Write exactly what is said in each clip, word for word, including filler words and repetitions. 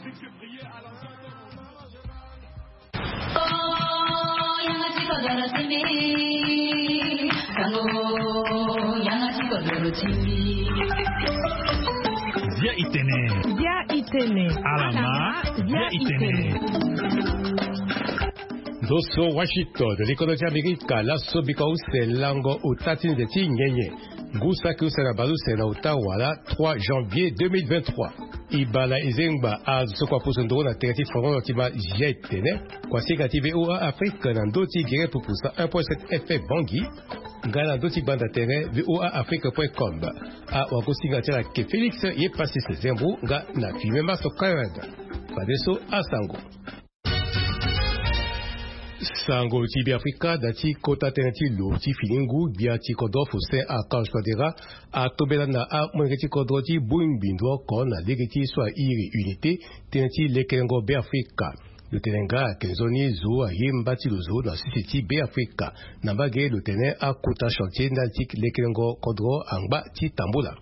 Bia itene. Bia itene. Alama. Bia itene. Ndo so Washington, likodo ti Amerika, laso bika use lango ota ti nze ti nyenye. Ngu saki use na baleuse na ota wala trois janvier deux mille vingt-trois. Ibala ezengba azo so kua pusu ndoro na tere ti fono ti ma zia etene. Kua singa ti VOA Afrique na ndo ti gere pupusa un point sept F M Bangui. Nga na ndo ti gbanda tere VOA Afrique point com. Awagosinga ti ala ke Félix ye pasi se zembo nga na filme maso Karen. Fadeso asango. Sango ti Beafrika, da ti kota tënë ti lo ti fini ngu, gbia ti kodro Faustin Archange Touadéra atombela na amolenge ti kodro ti bongbi ndo oko na lege ti so airi Unité, tënë ti lekerengo Beafrika. Lo tene nga ayeke nzoni zo aye mba ti lo zo na sese ti Beafrika. Na mbage lo tene akota chantier ndali ti lekerengo kodro angba ti tambula.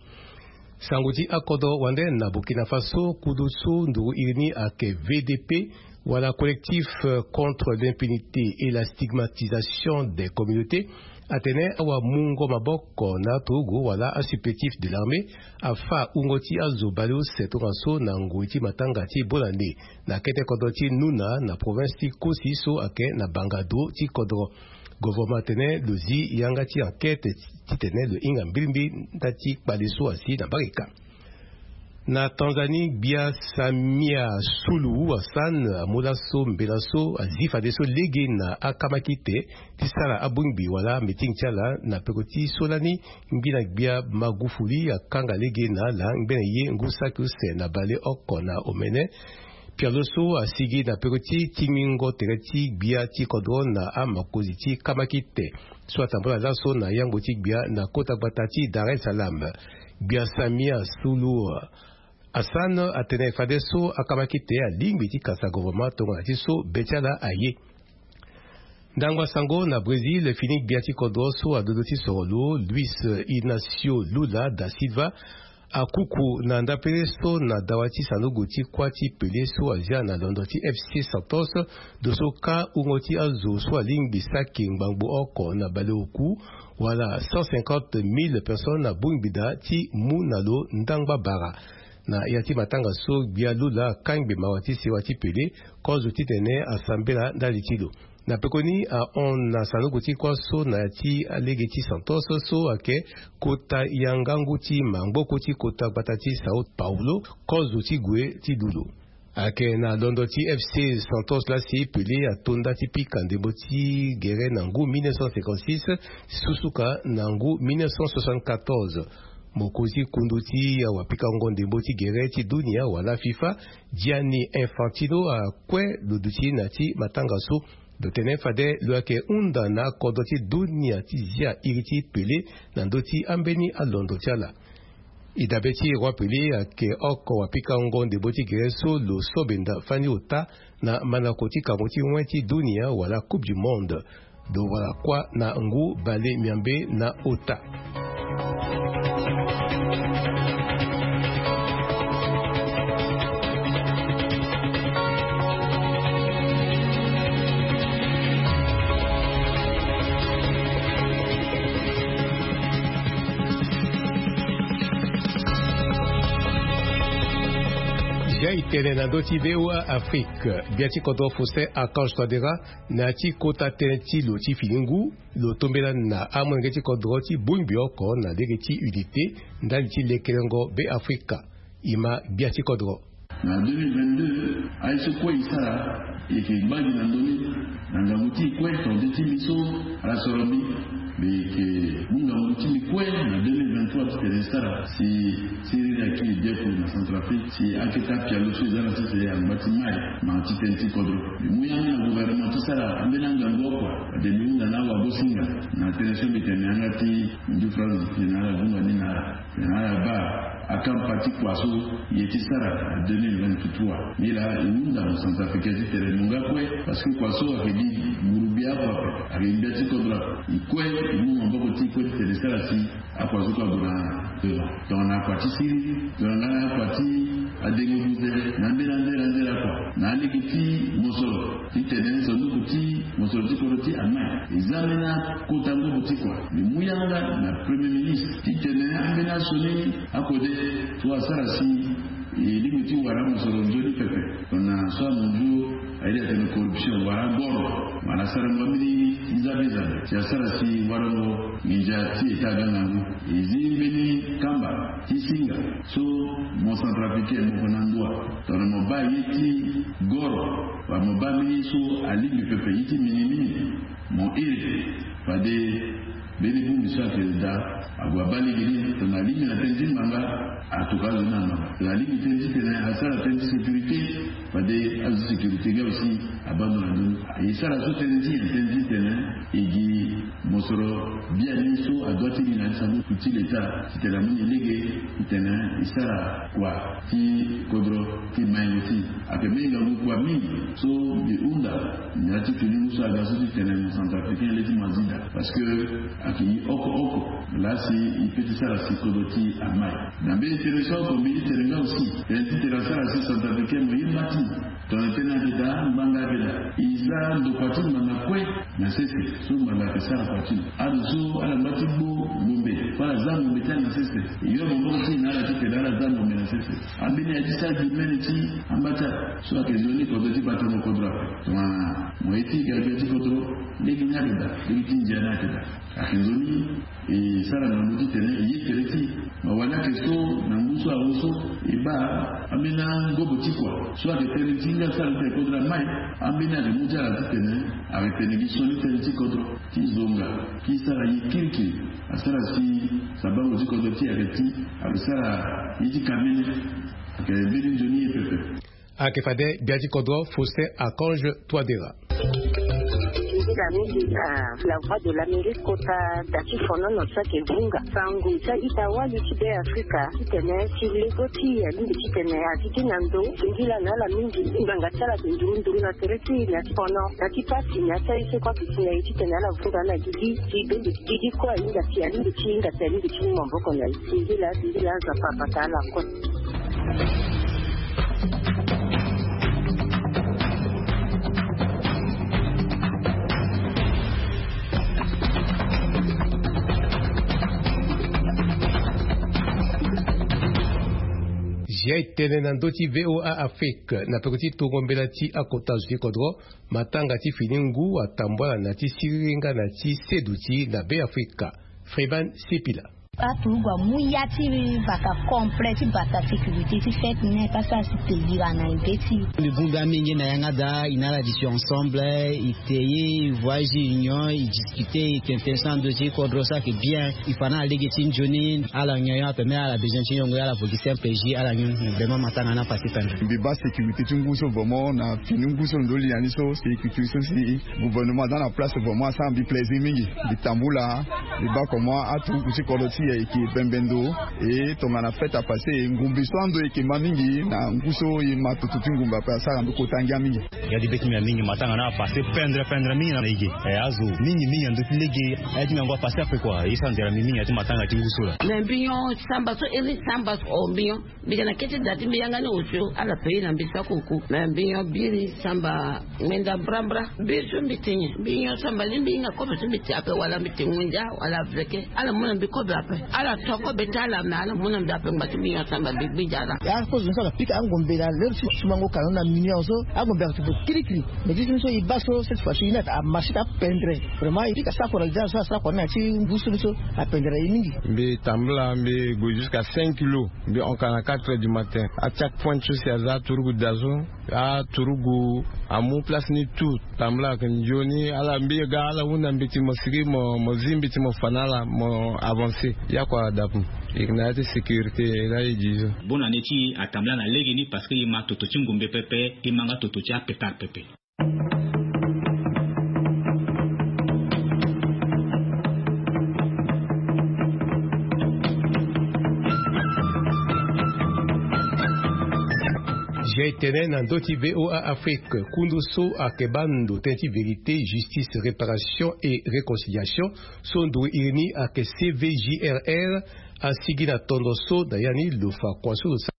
Sango ti akodro wande na Burkina Faso, kudu so nduru iri ni ayeke V D P, wala Collectif, euh, contre l'impunité et la stigmatisation des communautés, atene awamungo maboko na aturugu wala asupplétif de l'armée afa wungo ti azo baleuse tongaso na ngoi ti matanga ti bonane na kete kodro ti Nouna na province ti Kosi so ayeke na banga do ti kodro. Gouvernement atene lo zi yanga ti enquête titene lo hinga mbilimbili nda ti kpale so asi na mbage ka. Na Tanzanie, gbia Samia Suluhu Hassan amu laso mbela so azi fadeso lege na akamakite ti sara abongbi wala meeting ti ala na peko ti so lani ngbina gbia Magufuli akanga lege na ala ngbene ye ngu saki use na baleoko na omene. Pialo so asigi na peko ti tingbingo tere ti gbia ti kodro na amakonzi ti kamakite so atambula laso na yangbo ti gbia na kota gbata ti Dar es Salaam. Gbia Samia Suluhu Hassan atene fadeso akamakite alingbi ti kasa gouvernement tongana ti so be ti ala aye. Ndangba sango na Brésil, fini gbia ti kodro so adodo ti soro lo, Luis Inacio Lula da Silva, akuku na ndapele so na dawa ti sanduku ti kuâ ti pele so azia na londo ti F C Santos, do so kâ wungo ti azo so alingbi saki ngbangbo oko na baleoku, wala cent cinquante mille personnes abongbi daa ti mu na lo ndangba bara. Na ya ti matanga so, gbia Lula akangbi mawa ti sewa ti pele kozo titene asambela ndali ti lo. Na pekoni ahon na sanduku ti kuâ so na ya ti alege ti Santos so ayeke kota yanga ngu ti mangboko ti kota gbata ti São Paulo, kozo ti gue ti dulo. Ayeke na londo ti F C Santos laa si Pelé ato nda ti pika ndembo ti gere na ngu mille neuf cent cinquante-six, susuka na ngu mille neuf cent soixante-quatorze. Mokonzi kundu ti awapikango ndembo ti gere ti dunia wala FIFA, Gianni Infantino, akue lo duti na ya ti matanga so. Lo tene fade lo yeke hunda na akodro ti dunia ti zia iri ti Pelé na ndö ti ambeni alondo ti ala. E dabe ti Roi Pelé ayeke oko wapikango ndembo ti gere so lo so benda fani ota na mandako ti kango ti wen ti dunia wala Coupe du Monde. Lo wara kuâ na ngu bale miambe na ota. Zia e tene na ndö ti VOA Afrique. Gbia ti kodro Faustin Archange Touadéra, na ya ti kota tënë ti lo ti fini ngu, lo tombela na amolenge ti kodro ti bongbi oko na lege ti Unité ndali ti lekerengo Beafrika. E ma gbia ti kodro. Na deux mille vingt-deux, aye so kue e sara, e yeke gbagi na ndö ni. Na ngangu ti e kue, tongaso ti mbi so ala soro mbi, mbi yeke mu ngangu ti mbi kue na deux mille vingt-trois titene e sara si siriri aki e biaku na Centrafrique, si akete apialo so e za na sese angba ti mai, ma ti tënë ti kodro. Mbi mu yanga na gouvernement ti sara ambeni angangu oko, fade mbi hunda na awagosinga na tënë so mbi tene yanga ti ndu France, ti tene ala vunga ni na ala. Na ala baa akamba ti kua so e ye ti sara na deux mille vingt-trois. Nilaa e hunda na Centrafricain titene mo nga kue, parce que kua so ayeke gi nguru gbia oko ape, ayeke gbia ti kodro ape. E kue e mu maboko ti e kue titene e sara si akua so kue ague na devant. Tongana akua ti siriri, tongana nga na akua ti adengo buze, na ambeni anzere anzere. Alege ti mosoro titene sanduku ti mosoro ti kodro ti amai eza mbeni akota ngobo ti kua. Mbi mu yanga na premier ministre titene ambeni asioni akode so asara si e lingbi ti wara mosoro nzoni pepe. Tongana so amunzu airi atene corruption wala goro wala sarango ambeni ti zabe zabe si asara si warango nginza ti eta aga ngangu. E zi mbeni kamba ti singa so mo centrafricain mo ko na ndoa tongana mo baa ye ti goro wala mo baa mbeni ye so alingbi pepe ye ti minimini mo iri. Fade mbeni bongbi so ayeke daa ague abaa lege ni tongana alingbi na tënë ti ngbanga. Atoka azo ni na ngbanga tongana alingbi tënë ti tene asara tënë ti sécurité. Fade azo ti sécurité nga aussi abaa ndo na ndoni. E sara so tënë ti nyen? Tënë ti tene e gi mosoro biani so adoit ti li na ya ti sanduku ti leta titene amu ni lege titene e sara kua ti kodro ti maingo ti e. Ayeke mingi ngangu kua mingi so mbi hunda na ya ti fini ngu so aga so titene mo centrafricain le ti mo azi daa parce que ayeke gi oko oko laa si e peut ti sara si kodro ti e amai. Na mbeni tënë so oko mbi ti tene nga aussi tënë ti tene asara si centrafricain mo ye mba ti tongana tënë ayeke daa ngbanga ayeke daa. E za ndokua ti ngbanga kue na sese so ngbanga ayeke sara kua ti lo. Azo so ala ngba ti gbu ngombe fo ala za ngombe ti ala na sese. E yo maboko ti e na ala titene ala za ngombe na sese. Ambeni aye ti sara gi mene ti amba ti ala so ayeke nzoni kodro ti batango kodro ape. Tongana mo ye ti gbia gbia ti kodro lege ni ayeke daa lege ti ndia ni ayeke daa. Ayeke nzoni e sara na ndö titene e ye tere ti e. Ma wani ayeke so na ngu so awe so e baa ambeni angobo ti kua so ayeke tënë ti nga sara titene kodro amai. Ambeni ayeke mu ti ala titene ayeke tene gi sioni tënë ti kodro ti zonga ti sara ye kirikiri. Asara si sabango ti kodro ti e ayeke ti ayeke sara ye ti kamene. Ayeke mbeni nzoni ye pepe. Ayeke fade gbia ti kodro Faustin Archange Touadéra. Nzila mingi na La Voix de l'Amérique kota da ti fonono so ayeke vunga sango ti a-ita wali ti Beafrika titene si lego ti e alingbi titene azi gi na ndo singila na ala mingi. Ngbanga ti ala ayeke nduru nduru na tere ti e na ti fono na ti pasi na ya ti aye so kue ayeke si na e titene ala vunga na gigi ti bembe ti gigi kue ahinga si alingbi ti hinga si alingbi ti mu maboko na e. Singila singila Nzapa abata ala kue. Zia e tene na ndö ti V O A Afrique na peko ti tongo mbela ti akota zo ti kodro. Matanga ti fini ngu atambula na ti siriri nga na ti seduti na Beafrika. Freeman Sipila. Aturugu amu ya ti bata complet ti bata sécurité ti fête net asara si pays wara na ebe ti. Mbi bongbi amingi na yanga daa i na ala duti ensemble i te ye i voyage union i discuter i tene tene so ando ti kodro so ayeke bien. I fa na ala lege ti nzoni ala nyon ape me ala besoin ti nyongo ye ala vo gi simple jus ala nyon. Vraiment matanga ni apasse pendre. Mbi baa sécurité ti ngu so vraiment na fini ngu so ndo li na ni so sécurité so si gouvernement aza na place vraiment asara mbi plaisir mingi. Mbi tambula mbi baa comment aturuku ti kodro ti e ayeke bembe ndo. E tongana fête apasse ngumbi so ando e yeke ma mingi na ngu so e ma toto ti ngumbi ape asara mbi kota ngia mingi. Ya ti be ti mbi ya mingi matanga ni apasse pendre pendre mingi na e ge. E azo mingi mingi na ndö ti lege. Aye ti mbi yango apasse ape kua e sara nzere na mbi mingi na ya ti matanga ti ngu so laa. Me mbi nyon samba so iri samba so o mbi nyon. Mbi yeke na kete da ti mbi yanga ni osio ala pays na mbi sako oku me mbi nyon biri samba. Ngbenda mbrambra biri so mbi ti nyen mbi nyon samba ni mbi hinga kobe so mbi ti ape wala mbi ti ngundia wala veke ala mu na mbi kobe ape. Ala to kobe ti ala me ala mu na mbi ape ngba ti mbi nyon samba mbi gbinza ala. Ya kozo ni so ala pika angombe na l'heure ti sumango kano na mignon so angombe ayeke ti gue kirikiri. Mais ti so ni so e baa so cette fois ci ni ayeke amarché ti apendre. Vraiment e pika sako na lida so asara kua ni na ya ti ngu so ni so apendre e mingi. Mbi tambula mbi gue jusqu'à cinq kilos. Mbi honka na quatre heures du matin. Acheck point so si aza aturugu da so aturugu amu place ni tout. Tambula ayeke nzoni ala mbi ga ala hunda mbi ti mo sigi mo mo zi mbi ti mo fa na ala mo avancer. Ya kua adapu e yeke na ya ti sécurité. Laa e gi so. Bonne année ti e atambula na lege ni parce que e ma toto ti ngumbe pepe. E ma nga toto ti apetard pepe. Zia e tene na ndö ti V O A Afrique kundu so ayeke baa ndo tënë ti vérité, justice, réparation et réconciliation so ndo iri ni ayeke C V J R R. Asigi na tondo so na ya ni lo fa kua so lo sara.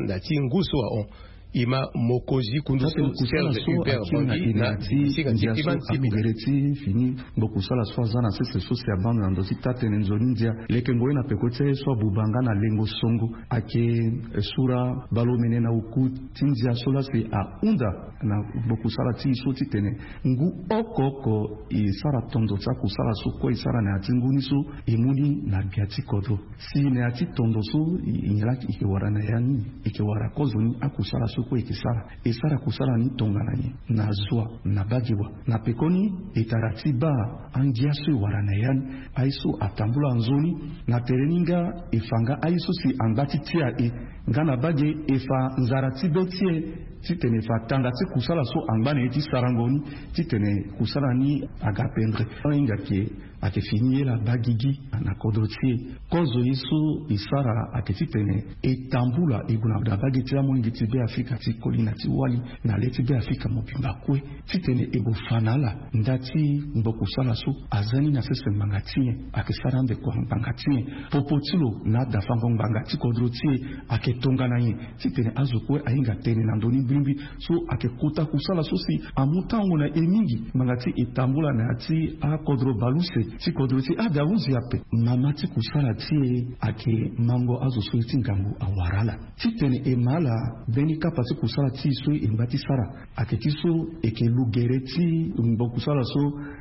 na ti ngu so ahon. Ima mokozi kundu so Serge Hubert Bangi na ti ndia so akugere ti fini. Ngbo kusala so aza na sese so si abando na ndo ti taa-tene nzoni ndia leke ngoi na peko ti aye so abuba nga na lengo songo. Ayeke sura baleomene na oku ti ndia so laa si ahunda na ngbo kusala ti e so titene ngu oko oko e sara tondo ti akusala so kue e sara na ya ti ngu ni so e mu ni na gbia ti kodro. Si na ya ti tondo so e nyen laa e yeke wara na ya ni? E yeke wara kozoni akusala so kue e yeke sara. E sara kusala ni tongana nyen? Na zua, na bage wa. Na pekoni e tara ti baa angia so e wara na ya ni. Aye so atambula nzoni na tere ni nga e fa nga aye so si angba ti tia e nga na bage e fa nzara ti be ti e titene e fa tanga ti kusala so angba na e ti sarango ni titene kusala ni aga pendre. Ahinga ke ayeke fini ye laa baa gigi na kodro ti e. Kozo ye so e sara ayeke titene e tambula e gue na bage ti amolenge ti Beafrika ti koli na ti wali na le ti Beafrika mobimba kue titene e gue fa na ala nda ti ngbo kusala so aza ni na sese ngbanga ti nyen, ayeke sara ande kua ngbanga ti nyen, popo ti lo na adafango ngbanga ti kodro ti e ayeke tongana nyen. Titene azo kue ahinga tene na ndö ni mbrimbri so ayeke kota kusala so si amu tango na e mingi ngbanga ti e tambula na ya ti akodro baleuse ti kodro ti adahuzi ape. Mama ti kusala ti e ayeke mango azo so ye ti ngangu awara ala titene e ma ala mbeni kapa ti kusala ti e so e ngba ti sara. Ayeke ti so e yeke lu gere ti ngbo kusala so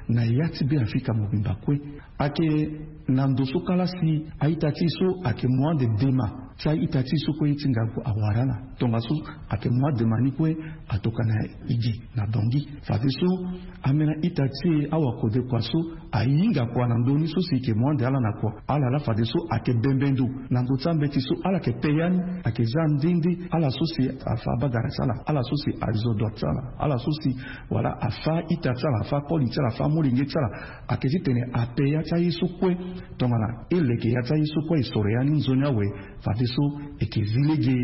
na ya ti Beafrika mobimba kue. Ayeke na ndo so kala si a-ita ti e so ayeke mu ande dema ti a-ita ti e so kue ye ti ngangu awara ala. Tongaso ayeke mu adema ni kue atokana e gi na dongi. Fadeso ambeni a-ita ti e awakodekua so ahinga kua na ndö ni so si e yeke mu ande ala na kua. Ala laa fadeso ayeke bembe ndo na ndö ti ambeti so ala yeke pe ya ni. Ayeke za nde nde ala so si afa abagara ti ala, ala so si azo dua ti ala, ala so si wala afa ita ti ala, afa koli ti ala, afa molenge ti ala. Ayeke titene ape ya ti aye so kue tongana e leke ya ti aye so kue e soro ya ni nzoni awe. Fadeso e yeke zi lege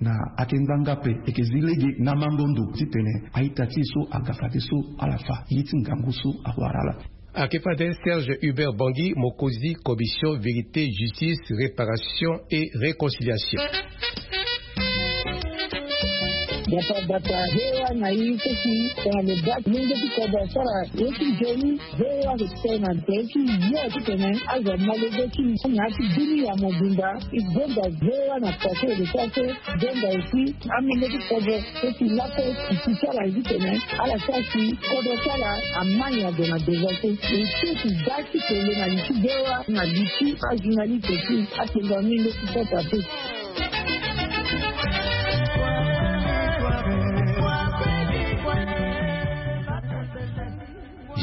na ayeke ngbanga ape, e yeke zi lege na mango ndo titene a-ita ti e so aga fadeso ala fa ye ti ngangu so awara ala. Ayeke fade Serge Hubert Bangi, mokonzi Commission Vérité, Justice, Réparation et Réconciliation. Bata bata hewa na ye so si tongana lo baa lenge ti kodro asara ye ti nzoni. Hewa ayeke tene na tere ti ye titene azo amolenge ti e na ya ti dunia mobimba. E gonda hewa na poto ede so aso gonda aussi amolenge ti kodro so si lakue e si ti ala ye titene ala sara si kodro ti ala amai ado na devance. E so si da ti kele na li ti hewa na li ti ajournaliste ti atengo amolenge ti kota te.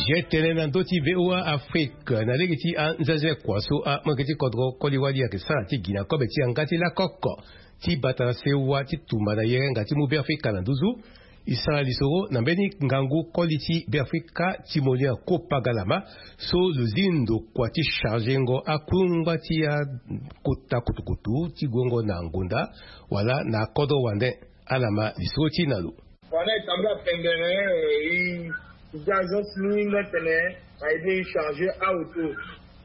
Zia tënë na ndö ti V O A Afrique na lege ti anzenze kua so amolenge ti kodro koli wali ayeke sara ti gi na kobe ti yanga ti lakoko ti bata na sewa ti tumba na yerenga ti mu Beafrika na nduzu. E sara lisoro na mbeni ngangu koli ti Beafrika ti molenge Kopa Galama so lo zi ndo kua ti chargengo akungba ti akota kutukutu ti guengo na ngonda wala na kodro wande. Ala ma lisoro ti e na lo. Wala e tambula pendere, e, e za agence ni nga tene a aide e charger auto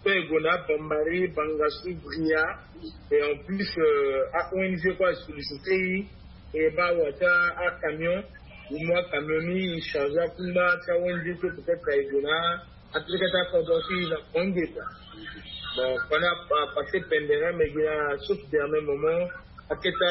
so e gue na Bambari, Bangassou, Bria. Et en plus, euh, a O N G kue a solliciter e, e baa wa ti acamion. E mu acamion ni e charger akungba ti a O N G so peut-être e gue na akete akodro ti e na kongeta. Bon, pendant a passé pendere, mais gi na sauf dernier moment akete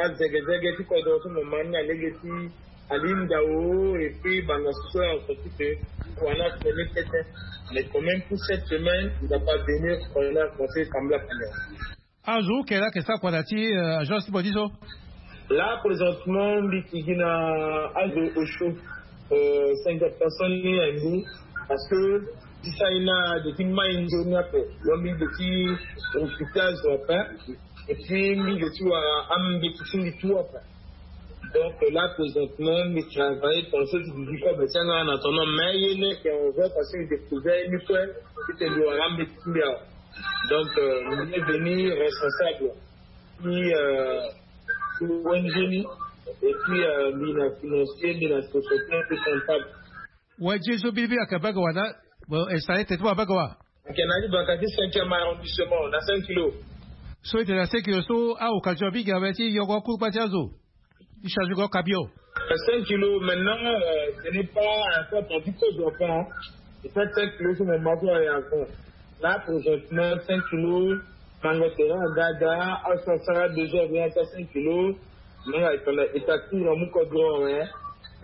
azegezege ti kodro so mo ma ni na lege ti ali ndao et puis Bangassou so en principe wala tene tete. Mais quand même pour cette semaine il va pas venir, wala conseil sambla pendere. Azo kue laa ayeke sara kua na ya ti, euh, agence ti bodi so? Là présentement mbi yeke gi na azo osio, euh, cinquante personnes ni na mbi. Parce que ti sara ni na de ti mai nzoni ape. Donc mbi de ti occuper azo ape. Et puis mbi de ti wara ambeti ti mbi tout ape. Donc là présentement mbi travaille, pensé ti duti kobe ti anga na tono mais ye ni ayeke en vain parce que mbi découvert ni kue. Titene mbi wara ambeti ti mbi awe. Donc, euh, mbi est venu responsable. Puis, euh, O N G ni, et puis, euh, mbi na financier, mbi na société, mbi comptable. Wa je so biri biri ayeke bage wa na, bon, e sara ete ti mo abage wa? Ayeke na ni baka ti cinquième arrondissement, na cinq kilos. So ete na cinq kilo so aoka ti wa bigi awe ti yoko akulu kpa ti azo. Ti charge ko kabio. Cinq kilos maintenant, euh, ce n'est pas un peu attendu que je prends. Et ça, cinq kilos sur mon manteau à yako. Là, présentement, cinq kilos, mango terrain, dada, à ça, ça, deux heures, bien, ça, cinq kilos. Manga etanda etati na muko grand, hein.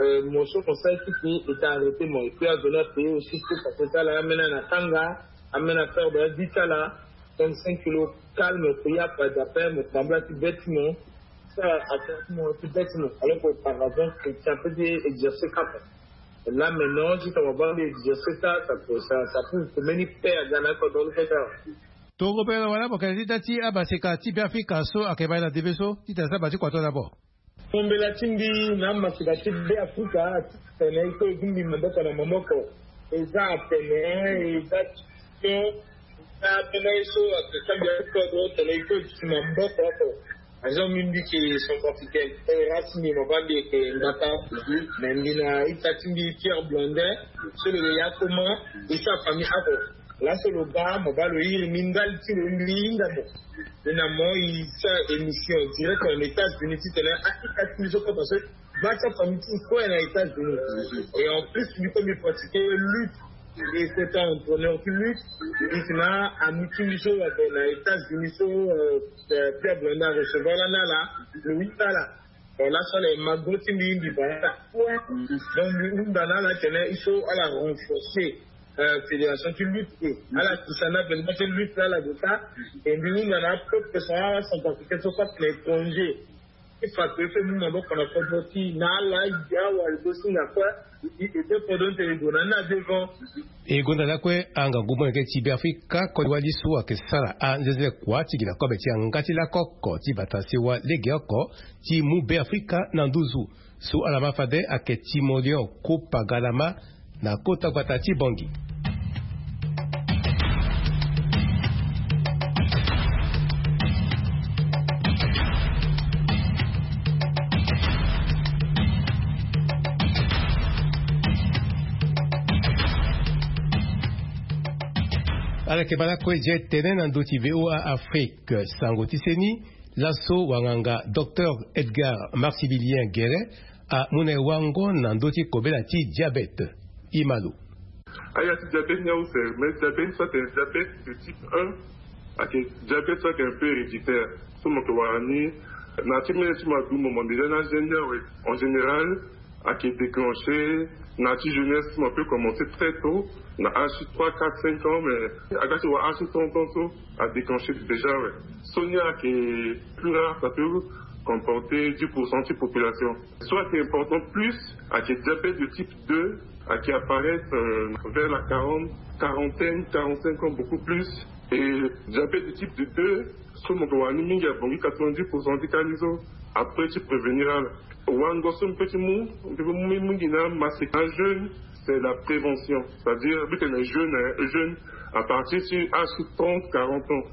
Euh, moso comme ça, et puis, il t'a arrêté, mon. Et puis, à donner à payer aussi, parce que ça, là, maintenant, na tanga, amena faire de dix là, donc cinq kilos calme, prière, pas d'appel, me sembla tout bêtement. Ça, à faire, moi, tout bêtement. Alors qu'auparavant, c'est un peu exercer quand même. Là, maintenant, si ça va pas exercer ça, ça peut, ça, ça peut, peut mener père dans la cordon, fait ça. Tongo pe na wala mo kende ti da ti abaseka ti Beafrika so ayeke baa na debe so ti tene asara baa ti kua to d'abord. Tombela ti mbi na amaseka ti Beafrika atene il faut e gbu mbi maboko na maboko. Eza atene eza question eza ambeni aye so atene sambia ti kodro atene il faut e duti maboko oko. Azo mbi mbi yeke centrafricaine, e rasi mbi mo baa mbi yeke ngbata. Me mbi na ita ti mbi Pierre Blondin so lo yeke ya akoma. E sara famille oko. Laso lo baa mo baa lo iri mbi ndali ti lo mbi hinga mo. Mbi na mo e sara émission direct en États-Unis titene a ita ti mbi so kue parce que baa ti afamille ti mbi kue na États-Unis. Et en plus mbi kue mbi pratiquer lutte. Et c'est un entraîneur ti lutte. Mbi si na ami ti mbi so ayeke na États-Unis so euh, euh, Pierre Blondin arecevoir lani ala. Lo hunda ala. Bon, laso ala e ma go ti mbi mbi baa ala. Donc mbi hunda na ala tene il faut ala renforcer euh, fédération ti lutte. Ala tisa na benda ti lutte la ala ge ka. Et mbi hunda na apeuple so ala centrafricain so kue na étranger. E fa que e fait mu maboko na kodro ti na ala e gi awali so si na kue. E, e, e, e, kodro ti tene e gue na ni na devant. E gonda lakue angangu molenge ti Beafrika koli wali so ayeke sara anzenze kua ti gi na kobe ti yanga ti lako oko ti bata sewa legeoko ti mu Beafrika na nduzu. So ala ma fade ayeke Timoleon Kopa Galama na kota gbata ti Bangui. Ala yeke baa lakue je tene na ndö ti V O A Afrique sango ti seni. Laso wanganga Docteur Edgar Maximilien Guéret amu na e wango na ndö ti kobela ti diabète. Imalo. Aya ti diabète ni ause, mais diabète so atene diabète de type un ayeke diabète so ayeke un peu héréditaire. So mo yeke wara ni na ti mene ti mo adumo mo mbi lani agene ni awe. En général ayeke déclenché na ti jeunesse, mo peut commencer très tôt na âge ti trois, quatre, cinq ans, mais aga ti wara âge ti trente ans so a déclenché déjà awe. So ni ayeke plus rare, ça peut comporter dix pour cent ti population. So ayeke important plus ayeke diabète de type deux ayeke apparaître euh, vers la quarante, quarantaine, quarante-cinq ans, beaucoup plus. Et diabète de type de deux so mo yeke wara ni mingi abongi quatre-vingt-dix pour cent ti ka ni so. Après ti prévenir ala. Wango so mbi peut ti mu, mbi peut mu mingi na maseka na jeûne, c'est la prévention. C'est-à-dire mbi tene jeûne, hein, jeûne à partir ti âge ti trente, quarante ans.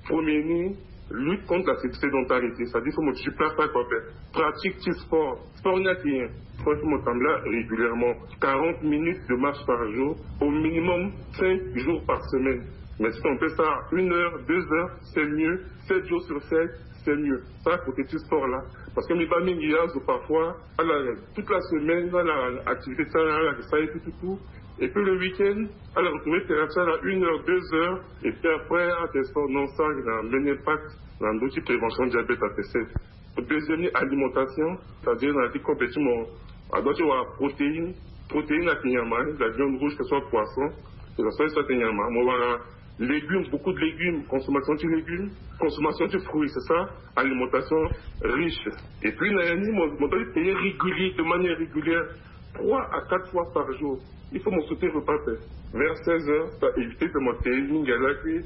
Premier ni, lutte contre la sédentarité, c'est-à-dire faut mo duti place oko ape. Pratique ti sport. Sport ni ayeke nyen? Sport faut mo tambula régulièrement, quarante minutes de marche par jour, au minimum cinq jours par semaine. Mais si on fait ça une heure, deux heures, c'est mieux. Sept jours sur sept, c'est mieux. Ça, côté du sport là. Parce que mbi baa mingi azo parfois ala toute la semaine ala activité ti ala ala yeke sara ye tout tout tout. Et puis le week-end ala retrouver terrain ti ala une heure, deux heures. Et puis après ala tene sport, non, ça na mbeni impact na ndö ti prévention diabète. Ayeke sese. Deuxième ni, alimentation, c'est-à-dire na ya ti kobe ti mo, a doit ti wara protéine. Protéine ayeke nyama, la viande rouge, que ce soit poisson, que ce soit, soit nyama. Mo wara légumes, beaucoup de légumes, consommation de légumes, consommation de fruits, c'est ça, alimentation riche. Et puis na ya ni mo, mo doit ti payer régulier, de manière régulière, trois à quatre fois par jour. Il faut mo sauter repas pe. Vers seize heures, ça évite de monter mingi ala ki.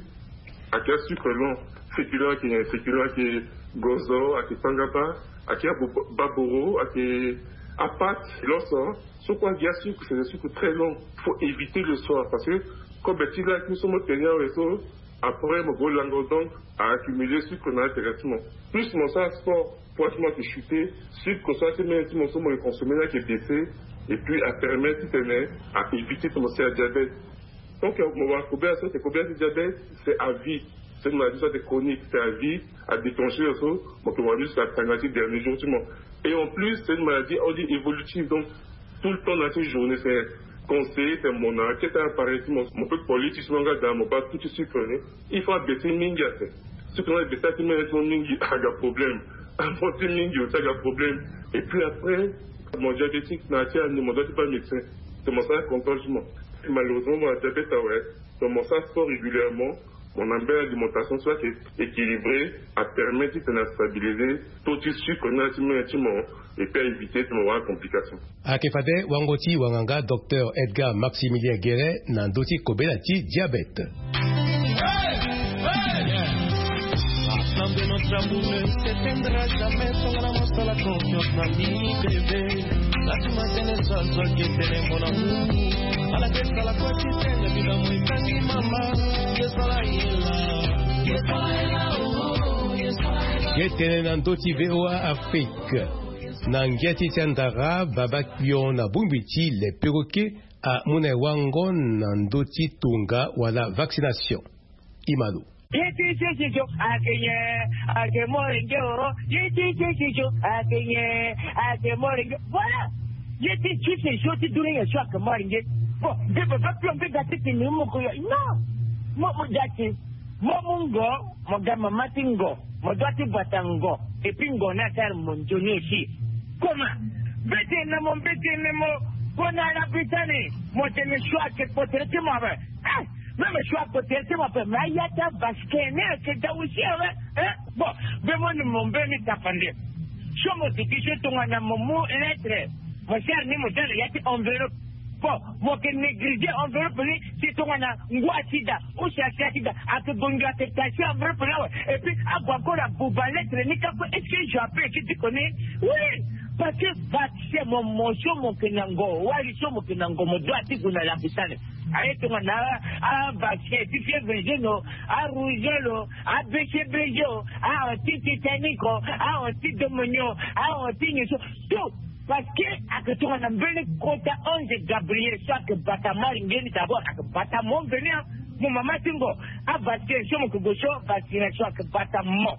Ayeke asucre lent, féculent ayeke nyen? Féculent ayeke gozo, ayeke tangaba, ayeke abo-, baboro, ayeke apate, loso. So kue ayeke asucre, c'est des sucres très lents. Faut éviter le soir parce que kobe ti la ki so mo tene awe so, après mo go lango, donc a accumuler sucre na ya directement. Plus mo sara sport, poids ti mo ayeke chuter, sucre so ayeke mene ti mo so mo yeke consommer ni ayeke baisser. Et puis a permettre titene a éviter titene mo sara diabète. Donc mo wara kobela so, c'est kobela ti diabète, c'est à vie. C'est une maladie soit chronique, c'est à vie, à déclencher aussi. Donc, on va juste attendre les derniers jours, tu vois. Et en plus, c'est une maladie, on dit, évolutive. Donc, tout le temps dans ces journées, c'est conseillé, c'est mon enquête à apparaître, mon, mon peu de politique, mon gars, dans mon pas tout de suite, hein. Il faut abaisser mingi, hein. Ce qu'on a baissé, c'est même mon mingi, aga problème. Avancer mingi, aussi, aga problème. Et puis après, mon diabétique, n'a pas, mon doigt, pas médecin. C'est mon sang contrôle, moi. Malheureusement, mon diabète, ah ouais. Donc, mon sang sport régulièrement. Mon ambele alimentation soit équilibrée, a permettre de stabiliser tout de suite qu'on a et puis à éviter de avoir complications. Ayeke fade wango ti wanganga docteur Edgar Maximilien Guéret na ndö ti kobela ti diabète. Ye tene na ndö ti V O A Afrique. Na ngia ti ti andara, baba kpion na bongbi ti le perroquet amu na e wango na ndö ti tonga wala vaccination. Imalo. Ye ti sisi jo akenye, ake mori nge o. Ye ti sisi jo akenye, ake mori nge. Voilà. Ye ti sisi jo ti dure ye so ake mori nge. Bon, nge baba kpion mbi ga ti tene mo ko yo. Non. Mo mo ga ti. Mo mu ngo, mo ga mama ti ngo, mo doit ti bata ngo, et puis ngo ni asara mo nzoni aussi. Comment? Mbeti na mo, mbeti na mo, kona la bitani, mo tene choix ke potere ti mo ape. Eh, même choix potere ti mo ape, mais ya ta basket ni ke da aussi awe. Eh, bon, be mo ni mo mbe ni tapande. So mo tiki so tongana mo mu lettre, mo sara ni mo dala ya ti enveloppe. Bon, mo ke négliger enveloppe ni, si tongana ngua ti da, ou si asia ti da, ake gonga ake tasi enveloppe ni awe. Et puis, ague encore abuba lettre ni ka kue, est-ce que je appelle ki ti koni? Oui, parce que vaccin mo, mo so mo ke na ngo, wali so mo ke na ngo, mo doit ti gue na lapitani. Aye tongana a, a vaccin ti fièvre jaune o, a rougeole o, a B C B G o, a anti tétanique o, a anti demonio, a anti nyeso. Tout. Parce que ake tongana mbeni kota ange Gabriel so ake bata mari nge ni d'abord, ake bata mo mveni, hein. Mo mama ti ngo, a vaccin so mo ke gue so, vaccination ake bata mo.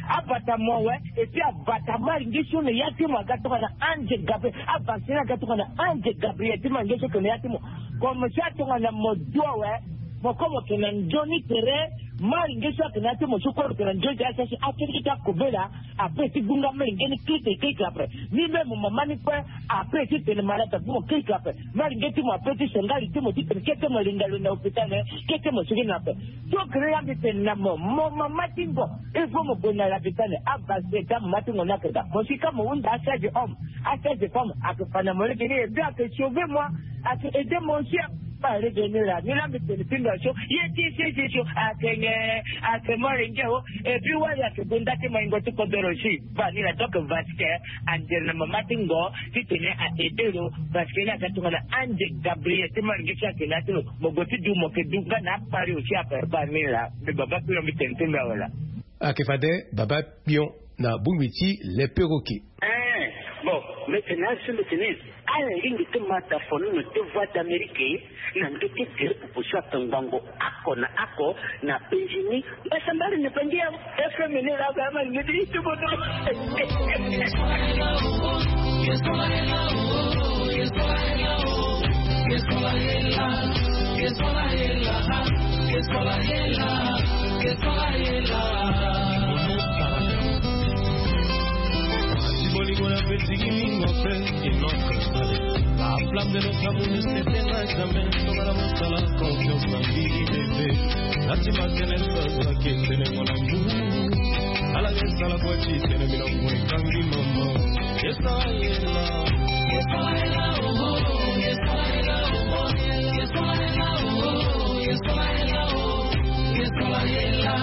A bata mo awe, et puis a bata mari nge so na ya ti mo aga tongana ange Gabriel, a vaccin aga tongana ange Gabriel ti mari nge so ke na ya ti mo. Comme ça tongana mo du awe, mo ko mo ke na nzoni tere, mari nge so ake na ya ti mo so ko mo ke na nzoni tere, a sasi a kiri ki ta kobela. Après ti gbunga mari nge ni kite keke après. Ni même mo mama ni kue, après ti tene malade abu mo keke après. Mari nge ti mo après ti sengali ti mo ti tene kete mo linga lo na hôpital, eh, kete mo sigi na ape. Donc là mbi tene na mo, mo mama ti ngo, il faut mo gue na lapitani, a vaccin ti amama ti ngo ni ake ga. Mo si ka mo hunda a sage homme, a sage femme ake fa na mo lege ni, et puis ake sauver moi, ake aider mon chien. Ba lege ni la, ni la mbi tene ti ndo so, ye ti sese so, ake nge, ake mari nge o, et puis wali ake gue nda ti maingo ti kodoro si. Ba ni la, donc vaccin, ande na mama ti ngo, ti tene a aider lo, vaccin ni aga tongana ange Gabriel ti mari nge si ake na ya ti lo, mo gue ti du mo ke du nga na apari aussi ape. Ba ni la, mbi baba kpion mbi tene ti ndo awe la. Ake fade baba kpion na bongbi ti le perroquet. Eh, bon, mbi tene na so mbi tene, ala lingbi ti ma dafono na deux voix d'Amérique, na ndö ti gere pupu so ake ngbongo oko na oko na penzi ni. Mbasambala ni bangi ya F M ni la ga ma ni ti ti bodo. Bolingo na peti mingo pe. La flamme de notre amour ne s'éteindra jamais. Tongana mosala confiance na mbili bébé. Nati makene sasa ketene mon amour. Ala ke sala kwa ti tene mino mwe kangi mama. Yesa yela. Yesa yela, oh, oh, yesa yela, oh, oh, yesa yela, oh, oh, yesa yela, oh, yesa yela.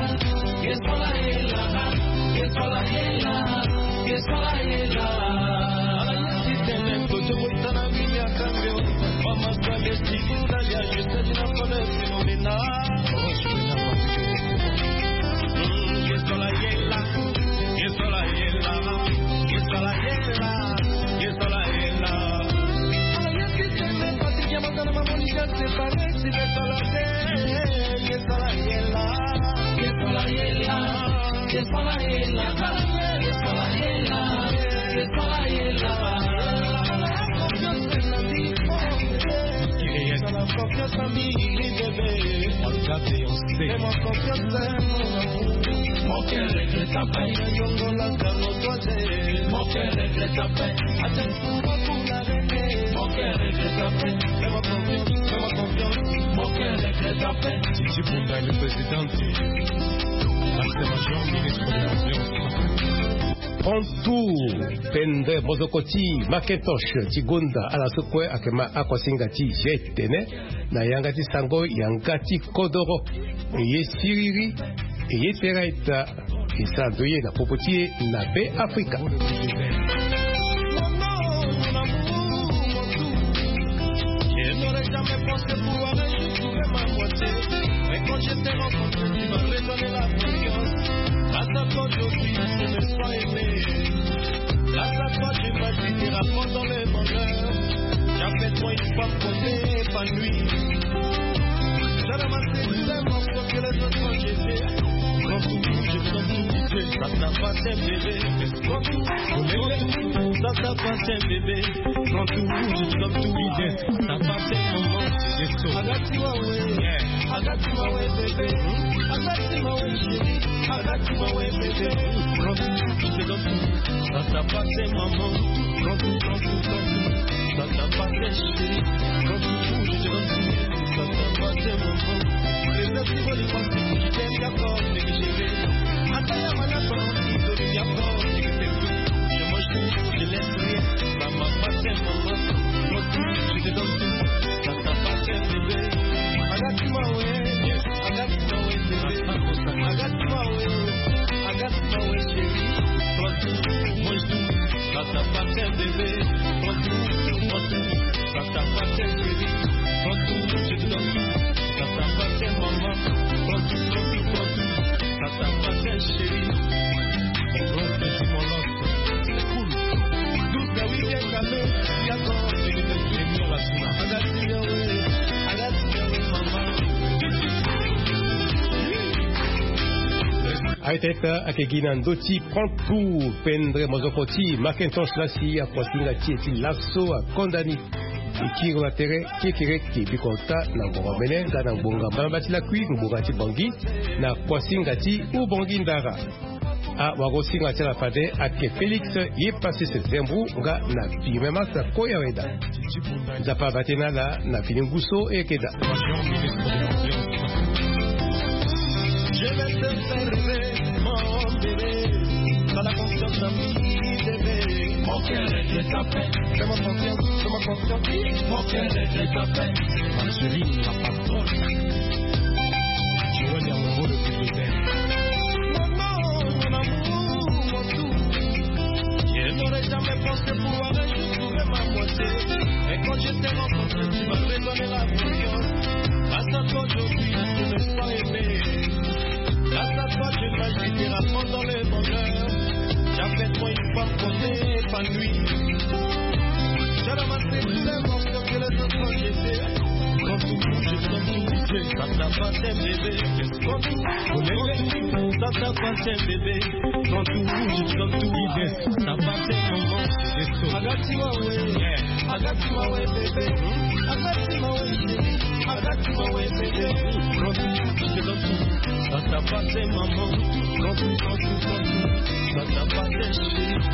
Mon cœur regrette à peine. Mon cœur regrette à peine. Mon cœur regrette à peine. Fais-moi confiance, fais-moi confiance. Mon cœur regrette à peine. Titi Bunda, le président de la major, ministre de l'Ambiance. Prends tout, Pendre Mozokoti, Macintosh, ti gonda ala so kue ayeke ma akuasinga ti G T N. Na yanga ti sango yanga ti kodoro. E ye siriri, e ye tera ita. E sara ndo ye na popo ti e na Be Afrika. Je n'aurais jamais pensé pouvoir un jour trouver ma moitié. Mais quand je t'ai rencontré, tu m'as redonné la confiance. Grâce à toi, aujourd'hui, je me sens aimé. Grâce à toi, je m'agite et rapproche dans le bonheur. J'appelle toi une femme pour m'épanouir. J'ai ramassé tous les morceaux que les autres ont jetés. Prends tout, je prends tout, ça t'appartient, bébé. Prends tout, prends tout, ça t'appartient, bébé. Prends tout, je prends tout, ça t'appartient, maman. Agatima we, agatima we, bébé. Agatima we, chérie. Agatima we, bébé. Prends tout, je te donne tout. Ça t'appartient, maman. Prends tout, prends tout, prends tout. Ça t'appartient, chérie. Prends tout, je te donne tout. Ça t'appartient, maman. Les autres, ils veulent y penser. Je t'aime, d'accord, mais je vais. Attends, il y a ma nature, je mange tout, je laisse rien. Ça m'appartient, maman. Prends tout, je te donne tout. Ça t'appartient, bébé. Agatima we, agatima we, bébé. Agatima we, agatima we, chérie. Prends tout, mange tout, ça t'appartient, bébé. Prends tout, prends tout, ça t'appartient, chérie. Prends tout, je te donne tout, ça t'appartient, maman. Prends tout, prends tout, prends tout, ça t'appartient, chérie. Mon grand petit, mon love, c'est cool. Douze à huit heures, ça fait, il y a encore des minutes. Agatima we, agatima we, maman. Aye teta ayeke gi na ndö ti Prends tout, Pendre Mozokoti, Macintosh la si akuasinga ti e ti laso akondani. E kiri na tere kekereke biko ota na ngbonga mene nga na ngbonga mbamba ti lakui ngbonga ti Bangui na kuasinga ti Ubangui Ndara. Awagosinga ti ala fade ayeke Félix Yepasis Zembou nga na Firmin Massa Koyaweda. Nzapa abaa tënë na ala na fini ngu so e yeke daa. Je vais te faire rêver, mon bébé. T'as la confiance en moi, bébé. Mon cœur est de ta peine. Fais-moi confiance, fais-moi confiance. Mon cœur est de ta peine. Ma chérie, la patronne. Joël Yamongo, le plus de terre. Maman, mon amour, mon tout. Je n'aurais jamais pensé pouvoir un jour trouver ma moitié. Mais quand je t'ai rencontré, tu m'as redonné la confiance. Grâce à toi, aujourd'hui, je me sens aimé. Grâce à toi, je m'agite et rapproche dans le bonheur. J'appelle toi une femme pour m'épanouir. J'ai ramassé tous les morceaux que les autres ont jetés. Prends tout, je prends tout, ça t'appartient, bébé. Prends tout, prends tout, ça t'appartient, bébé. Prends tout, je prends tout, ça t'appartient, maman. Agatima we, agatima we, bébé. Agatima we, chérie. Agatima we, bébé. Prends tout, je te donne tout. Ça t'appartient, maman. Prends tout, prends tout, prends tout. Ça t'appartient, chérie.